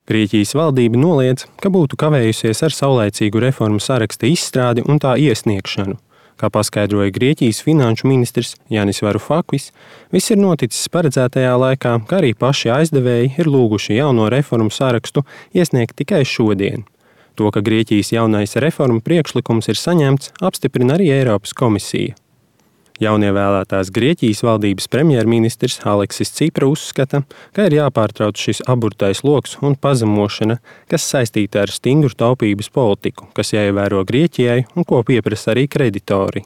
Grieķijas valdība noliedz, ka būtu kavējusies ar saulaicīgu reformu saraksta izstrādi un tā iesniegšanu. Kā paskaidroja Grieķijas finanšu ministrs Jānis Varufakis, viss ir noticis paredzētajā laikā, kā arī paši aizdevēji ir lūguši jauno reformu sarakstu iesniegt tikai šodien. To, ka Grieķijas jaunais reformu priekšlikums ir saņemts, apstiprina arī Eiropas komisija. Jaunievēlētās Grieķijas valdības premjerministrs Aleksis Cipra uzskata, ka ir jāpārtrauc šis aburtais loks un pazemošana, kas saistīta ar stingru taupības politiku, kas jāievēro Grieķijai un ko pieprasa arī kreditori.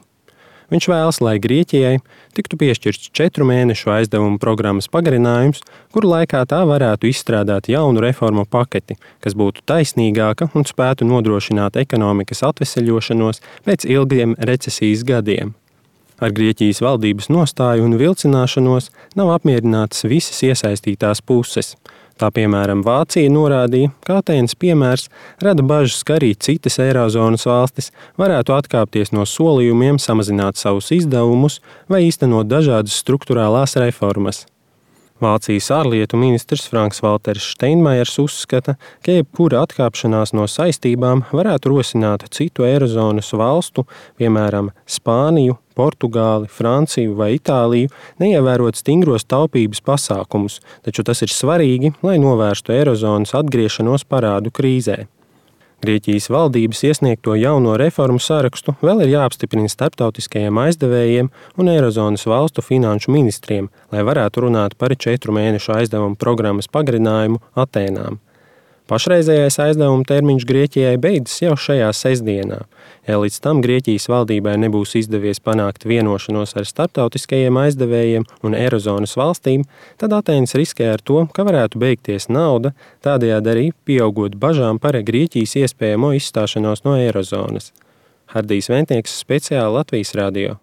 Viņš vēlas, lai Grieķijai tiktu piešķirts 4 mēnešu aizdevumu programmas pagarinājums, kuru laikā tā varētu izstrādāt jaunu reformu paketi, kas būtu taisnīgāka un spētu nodrošināt ekonomikas atveseļošanos pēc ilgiem recesijas gadiem. Ar Grieķijas valdības nostāju un vilcināšanos nav apmierinātas visas iesaistītās puses. Tā piemēram Vācija norādīja, ka Atēnas piemērs rada bažas, ka arī citas Eirozonas valstis varētu atkāpties no solījumiem samazināt savus izdevumus vai īstenot dažādas struktūrālās reformas. Vācijas ārlietu ministrs Franks-Valters Steinmeiers uzskata, ka jebkura atkāpšanās no saistībām varētu rosināt citu Eirozonas valstu, piemēram, Spāniju, Portugāli, Franciju vai Itāliju, neievērot stingros taupības pasākumus, taču tas ir svarīgi, lai novērstu Eirozonas atgriešanos parādu krīzē. Grieķijas valdības iesniegto jauno reformu sarakstu vēl ir jāapstiprina starptautiskajiem aizdevējiem un Eirozonas valstu finanšu ministriem, lai varētu runāt par 4 mēnešu aizdevumu programmas pagarinājumu Atēnām. Pašreizējais aizdevuma termiņš Grieķijai beidzas jau šajā sestdienā. Ja līdz tam Grieķijas valdībai nebūs izdevies panākt vienošanos ar starptautiskajiem aizdevējiem un Eirozonas valstīm, tad Atēnas riskē ar to, ka varētu beigties nauda, tādējādi arī pieaugot bažām par Grieķijas iespējamo izstāšanos no Eirozonas. Hardijs Ventnieks, speciāli Latvijas radio.